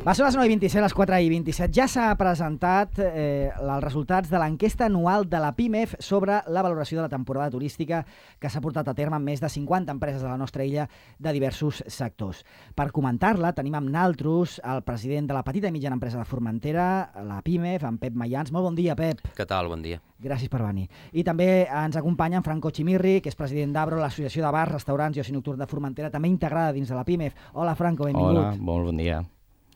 Va ser les 9:27, les 4:27. Ja s'ha presentat els resultats de l'enquesta anual de la PIMEF sobre la valoració de la temporada turística que s'ha portat a terme amb més de 50 empreses de la nostra illa de diversos sectors. Per comentar-la tenim amb naltros el president de la petita i mitjana empresa de Formentera, la PIMEF, en Pep Mayans. Molt bon dia, Pep. Què tal? Bon dia. Gràcies per venir. I també ens acompanya en Franco Chimirri, que és president d'Abro, l'Associació de Bars, Restaurants i Oci Nocturn de Formentera, també integrada dins de la PIMEF. Hola, Franco, benvingut. Hola, molt bon dia.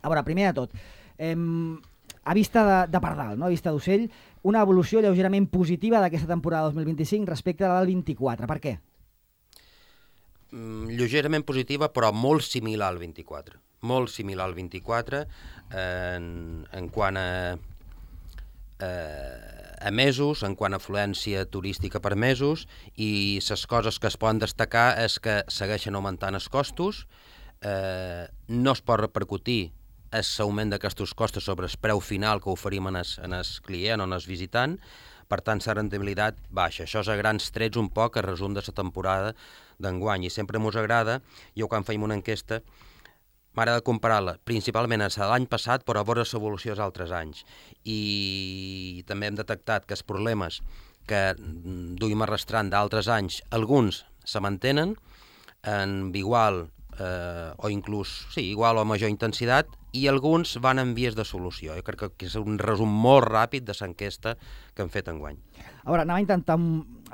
A veure, primer de tot, a vista de pardal, no? A vista d'ocell, una evolució lleugerament positiva d'aquesta temporada 2025 respecte a la del 24. Per què? Lleugerament positiva, però molt similar al 24. Molt similar al 24 en quant a mesos, en quant a afluència turística per mesos, i les coses que es poden destacar és que segueixen augmentant els costos, no es pot repercutir l'augment d'aquests costos sobre el preu final que oferim en el client o en el visitant, per tant la rendibilitat baixa. Això és a grans trets un poc el resum de la temporada d'enguany, i sempre ens agrada, jo quan feim una enquesta m'agrada comparar-la principalment a l'any passat, però a veure l'evolució dels altres anys. I també hem detectat que els problemes que duim arrastrant d'altres anys, alguns se mantenen en igual o inclús, sí, igual o major intensitat, i alguns van en vies de solució. Jo crec que és un resum molt ràpid de l'enquesta que hem fet enguany. A veure, anava a intentar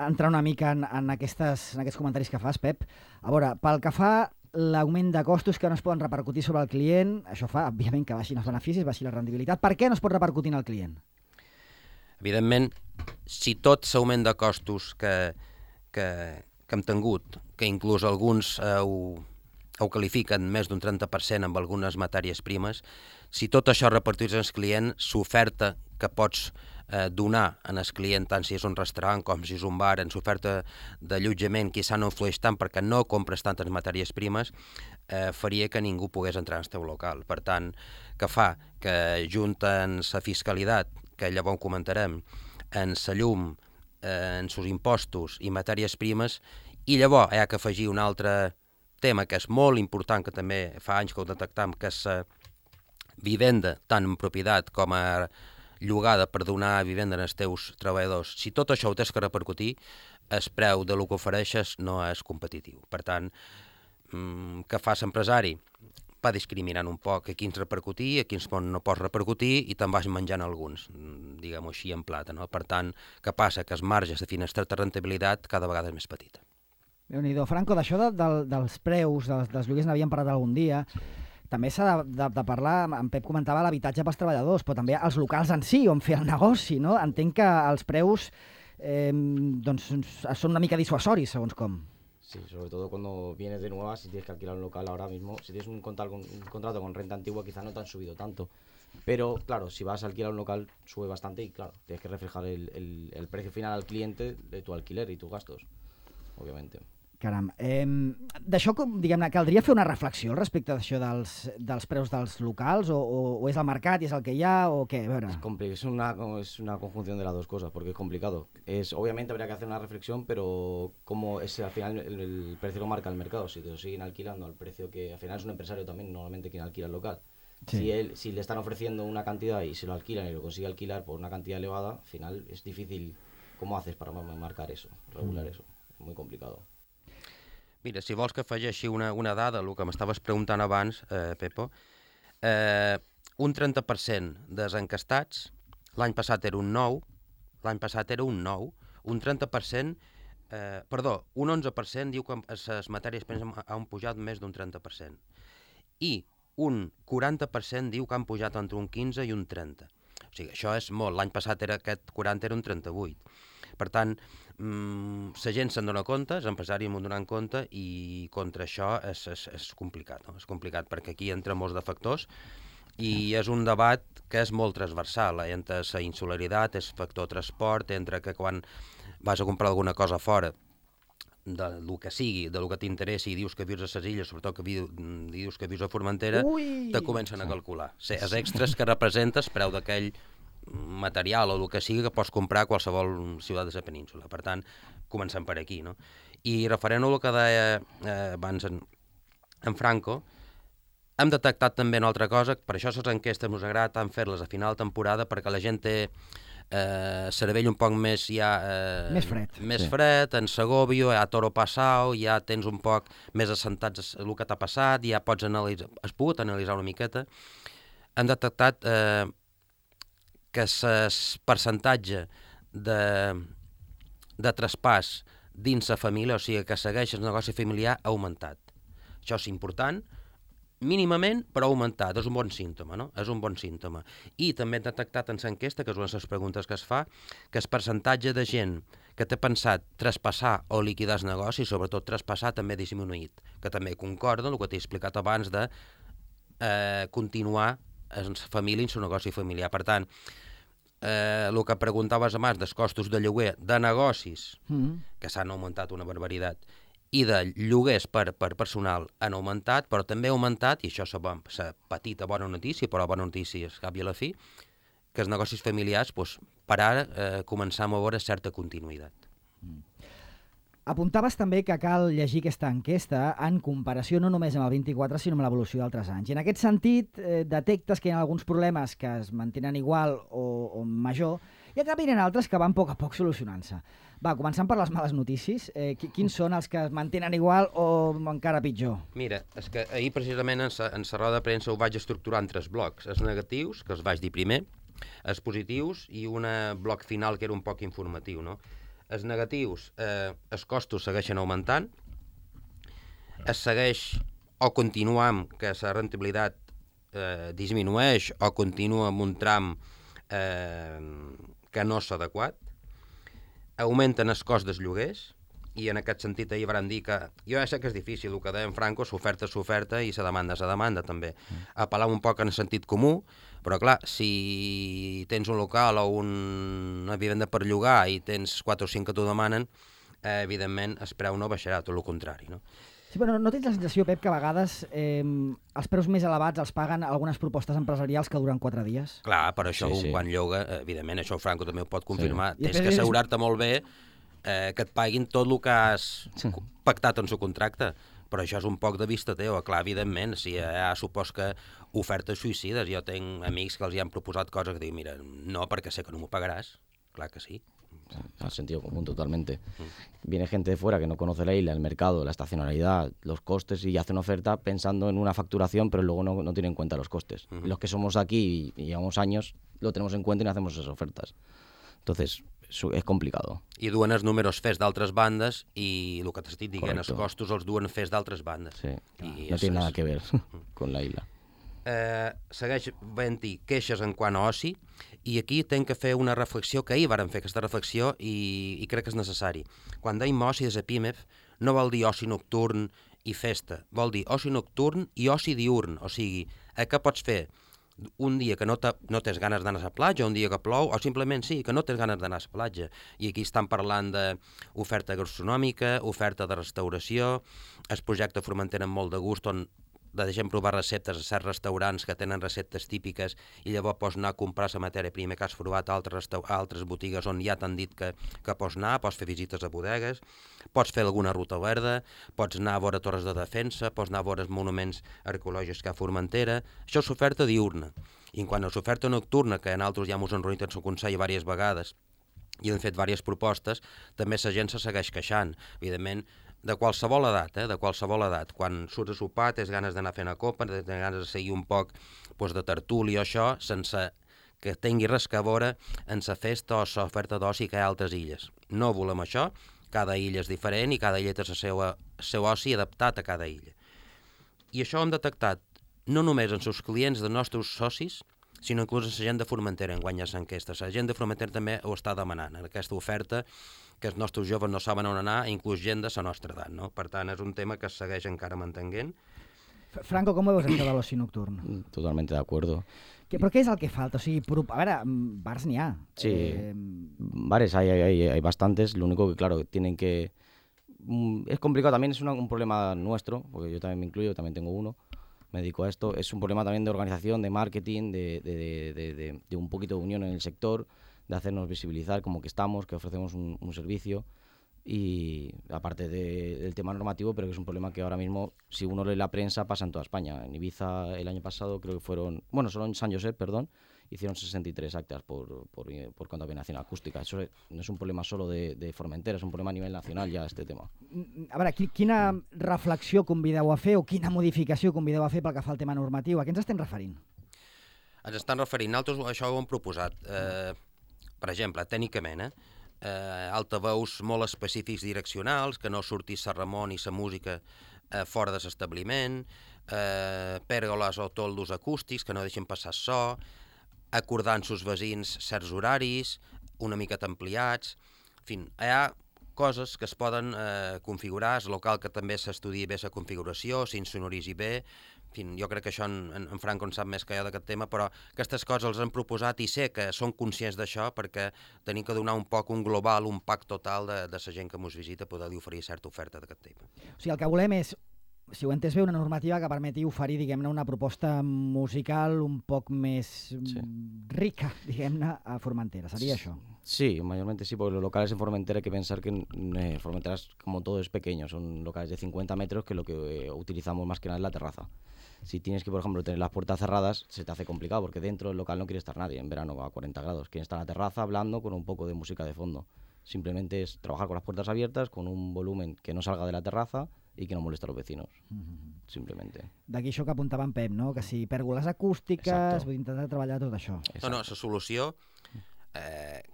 entrar una mica en aquests comentaris que fas, Pep. A veure, pel que fa l'augment de costos que no es poden repercutir sobre el client, això fa, òbviament, que baixin els beneficis, baixi la rendibilitat. Per què no es pot repercutir en el client? Evidentment, si tot l'augment de costos que hem tingut, que inclús alguns ho qualifiquen més d'un 30% amb algunes matèries primes, si tot això repartís als clients, l'oferta que pots donar en el client, tant si és un restaurant com si és un bar, en l'oferta d'allotjament, quizà no influeix tant perquè no compres tantes matèries primes, faria que ningú pogués entrar en el teu local. Per tant, que fa que junten la fiscalitat, que llavors comentarem, en la llum, en els impostos i matèries primes, i llavors hi ha que afegir un altre tema que és molt important, que també fa anys que ho detectam, que és la vivenda, tant en propietat com a llogada per donar vivenda als teus treballadors. Si tot això ho tens que repercutir, el preu de lo que ofereixes no és competitiu. Per tant, què fa l'empresari? Va discriminant un poc a quins repercutir, a quins no pots repercutir, i te'n vas menjant alguns, diguem-ho així, en plata, no? Per tant, què passa? Que els marges de finestreta de rentabilitat cada vegada és més petita. Déu-n'hi-do. Franco, d'això dels preus, dels lloguers n'havíem parlat algun dia, també s'ha de parlar, en Pep comentava l'habitatge pels treballadors, però també els locals en si, on fer el negoci, no? Entenc que els preus són una mica disuasoris, segons com. Sí, sobre todo cuando vienes de nueva, si tienes que alquilar un local ahora mismo, si tienes un contrato con renta antigua, quizá no te han subido tanto. Pero, claro, si vas a alquilar un local, sube bastante y, claro, tienes que reflejar el precio final al cliente de tu alquiler y tus gastos, obviamente. Caram. D'això, diguem-ne, caldria fer una reflexió respecte d'això dels preus dels locals, o és el mercat i és el que hi ha, o què? A veure. Es una conjunción de las dos cosas, porque es complicado. Obviamente habría que hacer una reflexión, pero como al final el precio lo marca el mercado, si te lo siguen alquilando al precio que al final es un empresario también normalmente quien alquila el local. Sí. Si le están ofreciendo una cantidad y se lo alquilan y lo consigue alquilar por una cantidad elevada, al final es difícil. ¿Cómo haces para marcar eso, regular eso? Es muy complicado. Mira, si vols que afegeixi una dada, el que m'estaves preguntant abans, Pepo, un 30% dels encastats, l'any passat era un 9, un 30%, un 11% diu que les matèries primeres han pujat més d'un 30%, i un 40% diu que han pujat entre un 15 i un 30. O sigui, això és molt. L'any passat aquest 40 era un 38. Per tant, la gent se'n dona compte, els empresaris m'ho donen compte, i contra això és complicat, no? És complicat perquè aquí entra molts de factors i és un debat que és molt transversal, entre la insularitat, el factor transport, entre que quan vas a comprar alguna cosa fora, del que sigui, del que t'interessi, i dius que vius a les illes, sobretot que dius que vius a Formentera, te comencen a calcular. Els extras que representes, preu d'aquell material o el que sigui que pots comprar a qualsevol ciutat de la península. Per tant, comencem per aquí, no? I referent al que deia abans en Franco, Hem detectat també una altra cosa, per això les enquestes ens agrada tant fer-les a final de temporada, perquè la gent té cervell un poc més més fred. Més fred, en Segovia, ja toro passau, ja tens un poc més assentats el que t'ha passat, ja pots analitzar, has pogut analitzar una miqueta. Hem detectat que el percentatge de traspàs dins la família, o sigui, que segueix el negoci familiar, ha augmentat. Això és important, mínimament, però ha augmentat. És un bon símptoma, no? És un bon símptoma. I també hem detectat en l'enquesta, que és una de les preguntes que es fa, que el percentatge de gent que té pensat traspassar o liquidar el negoci, sobretot traspassar, també ha disminuït, que també concorda amb el que t'he explicat abans de continuar en la família i en el negoci familiar. Per tant, el que preguntaves abans dels costos de lloguer de negocis, que s'han augmentat una barbaritat, i de lloguers per personal han augmentat, però també ha augmentat, i això és la petita bona notícia, però la bona notícia és cap i a la fi, que els negocis familiars, doncs, per ara, començam a veure certa continuïtat. Apuntaves també que cal llegir aquesta enquesta en comparació no només amb el 24, sinó amb l'evolució d'altres anys. I en aquest sentit, detectes que hi ha alguns problemes que es mantenen igual o major, i en canvi hi ha altres que van a poc solucionant-se. Va, començant per les males notícies, quins són els que es mantenen igual o encara pitjor? Mira, és que ahir precisament en la roda de premsa ho vaig estructurar en 3 blocs. Els negatius, que els vaig dir primer, els positius i un bloc final que era un poc informatiu, no? Els negatius, els costos segueixen augmentant, es segueix o continua amb que la rendibilitat disminueix o continua amb un tram que no és adequat, augmenten el cost dels lloguers, i en aquest sentit ahir vam dir que jo ja sé que és difícil, el que deia en Franco, s'oferta és s'oferta i la demanda també. Apel·lar un poc en el sentit comú, però clar, si tens un local o una vivenda per llogar i tens 4 o 5 que t'ho demanen, evidentment el preu no baixarà, tot el contrari, no? Sí, però no tens la sensació, Pep, que a vegades els preus més elevats els paguen algunes propostes empresarials que duren 4 dies? Clar, per això quan lloga, evidentment, això Franco també ho pot confirmar, tens que assegurar-te molt bé que et paguin tot el que has pactat en el contracte, però això és un poc de vista teva. Clar, evidentment, si supos que ofertes suïcides, jo tenc amics que els hi han proposat coses que diuen, mira, no, perquè sé que no m'ho pagaràs, clar que sí. Al sentido común totalmente. Viene gente de fuera que no conoce la isla, el mercado, la estacionalidad, los costes y hace una oferta pensando en una facturación, pero luego no tiene en cuenta los costes. Los que somos aquí y llevamos años lo tenemos en cuenta y no hacemos esas ofertas. Entonces, és complicado. I duen els números fets d'altres bandes i el que t'estic dient, els costos els duen fets d'altres bandes. Sí, no té nada que ver con la isla. Segueix havent-hi queixes en quant a oci, i aquí tenc que fer una reflexió, que ahir vàrem fer aquesta reflexió i crec que és necessari. Quan deim oci des de PIMEF no vol dir oci nocturn i festa, vol dir oci nocturn i oci diurn, o sigui, què pots fer un dia que no tens ganes d'anar a la platja, un dia que plou, o simplement sí, que no tens ganes d'anar a la platja. I aquí estan parlant d'oferta gastronòmica, oferta de restauració, el projecte Formentera amb molt de gust, on deixem provar receptes a certs restaurants que tenen receptes típiques i llavors pots anar a comprar la matèria prima que has provat a altres botigues on ja t'han dit que pots anar, pots fer visites a bodegues, pots fer alguna ruta verda, pots anar a veure torres de defensa, pots anar a veure els monuments arqueològics que hi ha a Formentera. Això és oferta diurna. I en quant a l'oferta nocturna, que nosaltres ja ens hem reunit en el Consell diverses vegades i hem fet diverses propostes, també la gent se segueix queixant. Evidentment, de qualsevol edat, de qualsevol edat. Quan surts a sopar, tens ganes d'anar fent a copa, tens ganes de seguir un poc de tertúlia o això, sense que tingui res a veure en la festa o l'oferta d'oci que hi ha a altres illes. No volem això, cada illa és diferent i cada illa té el seu oci adaptat a cada illa. I això ho hem detectat no només en els clients dels nostres socis, sinó inclús en la gent de Formentera, en guanyes enquestes. La gent de Formentera també ho està demanant, en aquesta oferta que els nostres joves no saben on anar, inclús gent de la nostra edat, no? Per tant, és un tema que es segueix encara mantenint. Franco, com veus això de l'oci nocturn? Totalmente de acuerdo. ¿Pero qué es el que falta? O sigui, a ver, bars n'hi ha. Sí, bares hay bastantes, lo único que, claro, tienen que... Es complicado, también es un problema nuestro, porque yo también me incluyo, también tengo uno, me dedico a esto. Es un problema también de organización, de marketing, de un poquito de unión en el sector, de hacernos visibilizar como que estamos, que ofrecemos un servicio. y aparte del tema normativo, pero que es un problema que ahora mismo, si uno lee la prensa, pasa en toda España. En Ibiza el año pasado creo que fueron, bueno, solo en San Josep, perdón, hicieron 63 actas por contaminación acústica. Eso no es un problema solo de Formentera, és un problema a nivell nacional ja, este tema. A veure, quina reflexió convideu a fer o quina modificació convideu a fer pel que fa al tema normatiu? A què ens estem referint? Ens estan referint, nosaltres això ho hem proposat. Per exemple, tècnicament, altaveus molt específics direccionals, que no surti sa remor ni sa música fora de l'establiment, pèrgoles o toldos acústics que no deixen passar so, acordant sus veïns certs horaris, una miqueta ampliats. En fi, hi ha coses que es poden configurar, és local que també s'estudiï bé la configuració, s'insonoritzi bé. En fi, jo crec que això en Franco en sap més que jo d'aquest tema, però aquestes coses els han proposat i sé que són conscients d'això perquè tenim que donar un poc un global, un pack total de la gent que ens visita, poder-li oferir certa oferta d'aquest tema. O sigui, el que volem és, si ho he entès bé, una normativa que permeti oferir, diguem-ne, una proposta musical un poc més rica, diguem-ne, a Formentera. Seria això? Sí, mayormente sí, porque los locales en Formentera hay que pensar que Formentera, como todo, es pequeño. Son locales de 50 metros que lo que utilizamos más que nada es la terraza. Si tienes que, por ejemplo, tener las puertas cerradas, se te hace complicado porque dentro del local no quiere estar nadie en verano a 40 grados. Quieren estar en la terraza hablando con un poco de música de fondo. Simplemente es trabajar con las puertas abiertas, con un volumen que no salga de la terraza i que no molesta a los vecinos, simplemente. D'aquí això que apuntava en Pep, no? Que si pèrgoles acústiques, vull intentar treballar tot això. No, la solució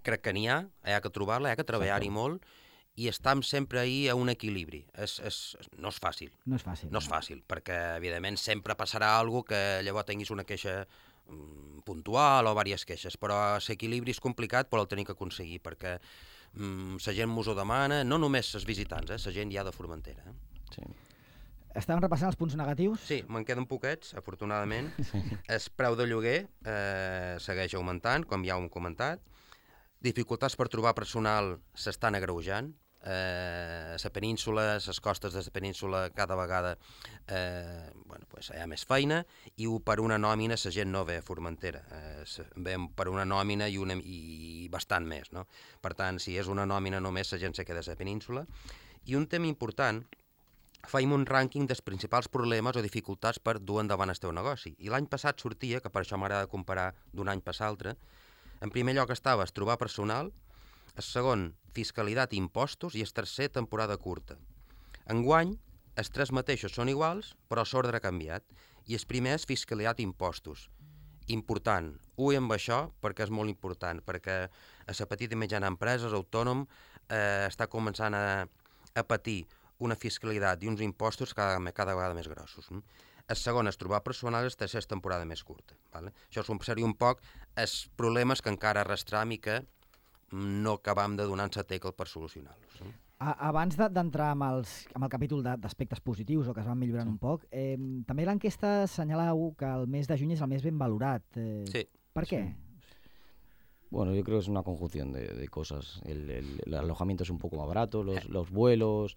crec que n'hi ha que trobar-la, que treballar-hi molt, i estem sempre ahí a un equilibri. No és fàcil. No és fàcil. No és fàcil, perquè, evidentment, sempre passarà alguna que llavors tinguis una queixa puntual o diverses queixes, però l'equilibri és complicat, però el tenim que aconseguir, perquè la gent mos ho demana, no només els visitants, la gent ja de Formentera. Sí. Estàvem repassant els punts negatius? Sí, me'n queden poquets, afortunadament. El preu de lloguer segueix augmentant, com ja ho hem comentat. Dificultats per trobar personal s'estan agreujant. La península, les costes de la península cada vegada hi ha més feina i per una nòmina la gent no ve a Formentera, ve per una nòmina i bastant més, no? Per tant, si és una nòmina només la gent se queda a la península. I un tema important, feim un rànquing dels principals problemes o dificultats per dur endavant el teu negoci. I l'any passat sortia, que per això m'agrada comparar d'un any per l'altre, en primer lloc estava trobar personal, el segon, fiscalitat i impostos, i el tercer, temporada curta. Enguany, els tres mateixos són iguals, però l'ordre ha canviat, i el primer és fiscalitat i impostos. Important. Ui amb això, perquè és molt important, perquè a la petita i mitjana empreses, autònom, està començant a patir una fiscalitat i uns impostos cada vegada més grossos. El segon és trobar personal, el tercer és temporada més curta. Vale? Això seria un poc els problemes que encara arrastram i que no acabam de donar-nos a tecla per solucionar-los. Abans d'entrar amb el capítol d'aspectes positius o que es van millorant un poc, també l'enquesta assenyaleu que el mes de juny és el més ben valorat. Sí. Per què? Bueno, yo creo que es una conjunción de cosas. El alojamiento es un poco más barato, los vuelos.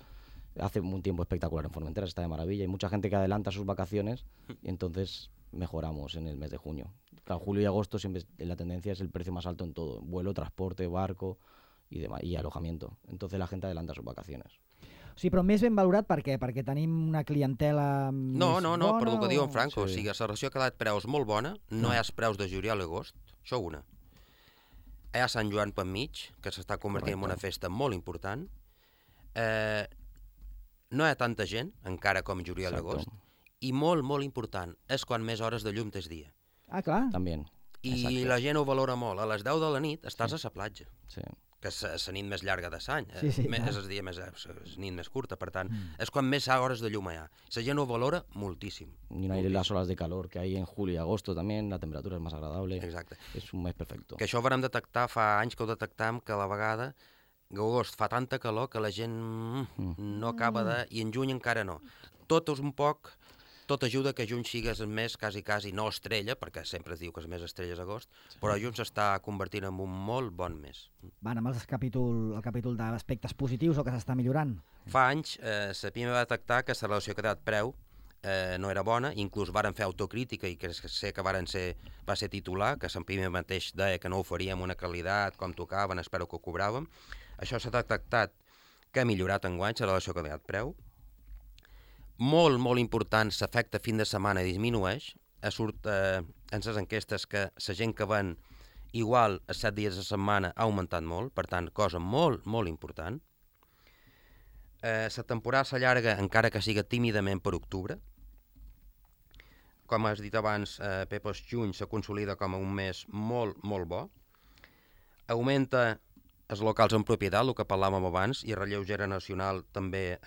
Hace un tiempo espectacular en Formentera, está de maravilla. Hay mucha gente que adelanta sus vacaciones y entonces mejoramos en el mes de junio. Claro, julio y agosto siempre la tendencia es el precio más alto en todo. Vuelo, transporte, barco y demás, y alojamiento. Entonces la gente adelanta sus vacaciones. Sí, però més ben valorat per què? Perquè tenim una clientela més bona? Per el que diu en Franco. Sí. O sigui, la relació ha quedat preus molt bona, no hi ha els preus de juliol i agost, això una. Hi ha Sant Joan per mig, que s'està convertint en una festa molt important. No hi ha tanta gent, encara com juliol i agost, i molt, molt important, és quan més hores de llum tens dia. Ah, clar. També. I la gent ho valora molt. A les 10 de la nit estàs a la platja, Sí. que és la nit més llarga de l'any, Sí, és el dia més, és nit més curta, per tant, és quan més hores de llum hi ha. La gent ho valora moltíssim. Y no hay las olas de calor que hay en julio y agosto también, la temperatura es más agradable. Exacte. Es un mes perfecto. Que això ho vam detectar fa anys que ho detectam, que a la vegada agost fa tanta calor que la gent no acaba de... I en juny encara no. Tot és un poc... Tot ajuda que juny sigues el mes quasi no estrella, perquè sempre es diu que el mes estrella és agost, però juny s'està convertint en un molt bon mes. Van amb el capítol d'aspectes positius o que s'està millorant. Fa anys la PIME va detectar que la relació qualitat-preu no era bona, inclús varen fer autocrítica i que sé que va ser titular, que la PIME mateix deia que no oferíem una qualitat com tocaven, espero que ho cobràvem. Això s'ha detectat que ha millorat enguany la relació qualitat-preu. Molt, molt important, l'efecte fin de setmana disminueix. Surt en les enquestes que la gent que ven igual a 7 dies de setmana ha augmentat molt, per tant, cosa molt, molt important. La temporada s'allarga encara que siga tímidament per octubre. Com has dit abans, Pep, el juny se consolida com un mes molt, molt bo. Augmenta els locals en propietat, el que parlàvem abans, i el relleu generacional també,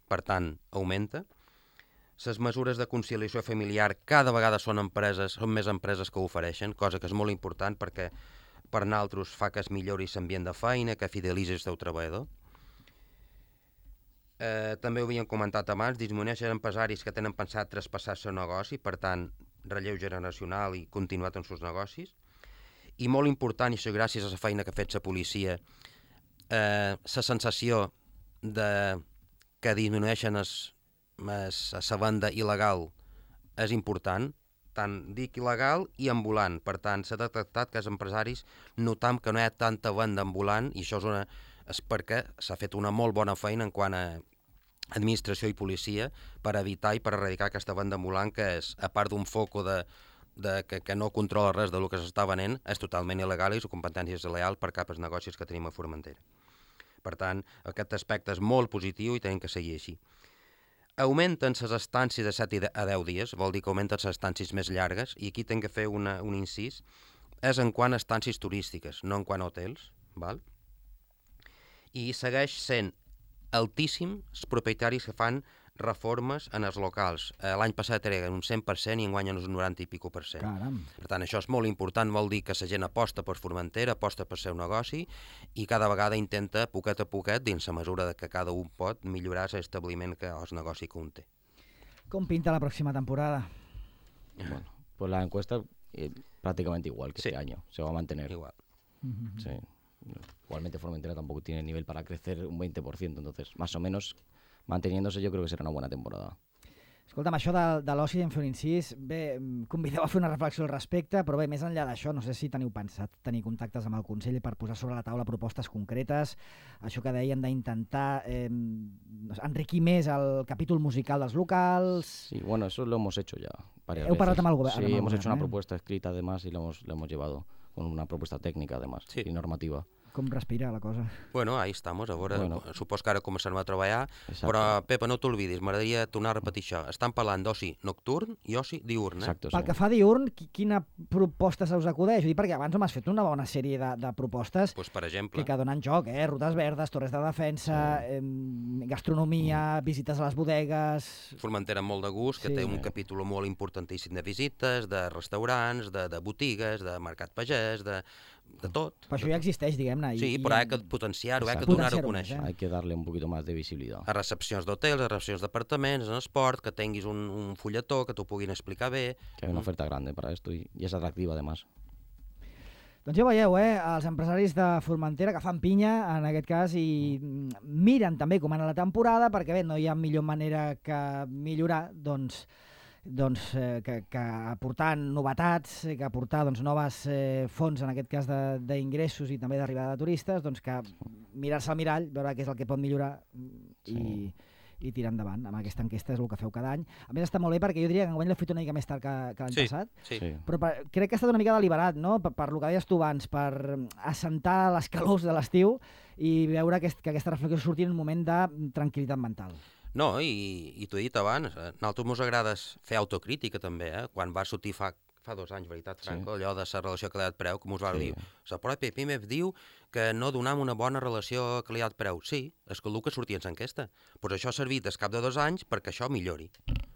per tant, augmenta. Les mesures de conciliació familiar cada vegada són més empreses que ho ofereixen, cosa que és molt important perquè per nosaltres fa que es millori l'ambient de feina, que fidelitzi el seu treballador. També ho havíem comentat abans, disminueixen empresaris que tenen pensat traspassar el seu negoci, per tant, relleu generacional i continuar amb els seus negocis. I molt important, i això gràcies a la feina que ha fet la policia, la sensació que disminueixen la venda il·legal és important, tant dic il·legal i ambulant. Per tant, s'ha detectat que els empresaris notam que no hi ha tanta venda ambulant i això és perquè s'ha fet una molt bona feina en quant a administració i policia per evitar i per erradicar aquesta venda ambulant que és, a part d'un foco que no controla res del que s'està venent, és totalment il·legal i és competència desleal per cap als negocis que tenim a Formentera. Per tant, aquest aspecte és molt positiu i tenim que seguir així. Augmenten les estàncies de 7 a 10 dies, vol dir que augmenten les estàncies més llargues, i aquí tinc que fer un incís, és en quant a estàncies turístiques, no en quant a hotels, val? I segueix sent altíssim els propietaris que fan reformes en els locals. L'any passat era un 100% i enguany un 90 i pico per cent. Caram. Per tant, això és molt important, vol dir que la gent aposta per Formentera, aposta per seu negoci i cada vegada intenta, poquet a poquet, dins la mesura que cada un pot, millorar l'establiment o el negoci que un té. Com pinta la próxima temporada? Bueno, pues la encuesta prácticamente igual que Sí. este año, se va a mantener. Igual. Sí. Igualmente Formentera tampoco tiene nivel para crecer un 20%, entonces más o menos manteniéndose yo creo que será una buena temporada. Escolta'm, això de l'oci en fer un incís, bé, convideu a fer una reflexió al respecte, però bé, més enllà d'això, no sé si teniu pensat tenir contactes amb el Consell per posar sobre la taula propostes concretes, això que deien d'intentar enriquir més el capítol musical dels locals... Sí, bueno, eso lo hemos hecho ya varias Heu parlat veces. amb el govern? Sí, hemos hecho una propuesta escrita además y lo hemos llevado con una propuesta técnica además Sí. y normativa. Com respira la cosa? Bueno, ahí estamos, a veure, Bueno. supos que ara començarem a treballar, Exacto. però, Pepa, no t'oblidis, m'agradaria tornar a repetir això. Estan parlant d'oci nocturn i oci diurn, Exacto, Pel sí. que fa a diurn, quina proposta se us acudeix? Ho dic perquè abans m'has fet una bona sèrie de propostes Pues, per exemple, que donen joc, rutes verdes, torres de defensa, gastronomia, visites a les bodegues... Formentera amb molt de gust, que Sí. té un capítol molt importantíssim de visites, de restaurants, de botigues, de mercat pagès, de tot. Però això ja existeix, diguem-ne. Sí, però ha que potenciar-ho, ha que Exacto. donar-ho a Potenciar-ho conèixer. més, Hay que darle un poquito más de visibilidad. A recepcions d'hotels, a recepcions d'apartaments, en esport, que tinguis un fulletó, que t'ho puguin explicar bé. Que hay una oferta grande para esto y es atractiva además. Doncs ja veieu, els empresaris de Formentera que fan pinya, en aquest cas, i miren també com anar la temporada, perquè bé, no hi ha millor manera que millorar, que aportar novetats, que aportar noves fonts, en aquest cas d'ingressos i també d'arribada de turistes, doncs que mirar-se al mirall, veure què és el que pot millorar i tirar endavant. Amb aquesta enquesta és el que feu cada any. A més, està molt bé perquè jo diria que enguany l'he fet una mica més tard que l'any passat, Sí. però crec que ha estat una mica deliberat, no? Per lo que deies tu abans, per assentar les calors de l'estiu i veure que aquesta reflexió surti en un moment de tranquil·litat mental. No, i t'ho he dit abans, a nosaltres ens agrada fer autocrítica també, Quan va sortir fa 2 anys, veritat, Franco, allò de la relació qualitat-preu, com us va dir, la pròpia PIMEF diu que no donam una bona relació qualitat-preu. Sí, és que el que sortia en l'enquesta. Pues això ha servit al cap de 2 anys perquè això millori.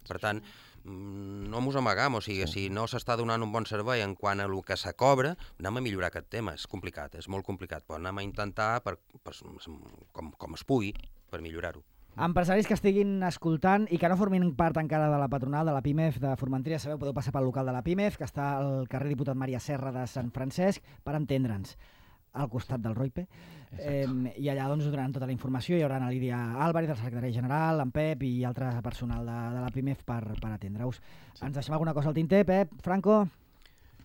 Per tant, no mos amagam, o sigui, si no s'està donant un bon servei en quant a el que se cobra, anem a millorar aquest tema. És complicat, és molt complicat, però anem a intentar, com es pugui, per millorar-ho. Empresaris que estiguin escoltant i que no formin part encara de la patronal de la PIMEF de Formentera, sabeu, podeu passar pel local de la PIMEF, que està al carrer Diputat Maria Serra de Sant Francesc, per entendre'ns, al costat del Roipe. I allà us donaran tota la informació, hi haurà la Lídia Álvarez, el secretari general, en Pep i altre personal de la PIMEF per atendre-us. Ens deixem alguna cosa al tinter, Pep, Franco?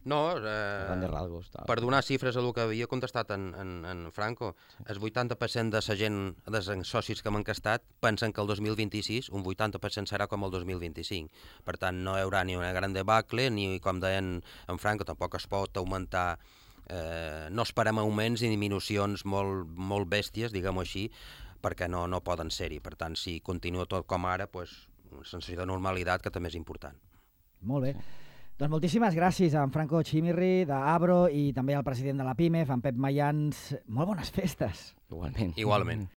No, grandes rasgos. Tal. per donar xifres a el que havia contestat en Franco, el 80% de la gent, dels socis que m'han encastat, pensen que el 2026 un 80% serà com el 2025. Per tant, no hi haurà ni una gran debacle, ni, com deien en Franco, tampoc es pot augmentar. No esperem augments ni disminucions molt bèsties, diguem-ho així, perquè no poden ser-hi. Per tant, si continua tot com ara, una sensació de normalitat que també és important. Molt bé. Doncs moltíssimes gràcies a en Franco Chimirri, d'Abro, i també al president de la PIMEF, en Pep Mayans. Molt bones festes. Igualment. Igualment.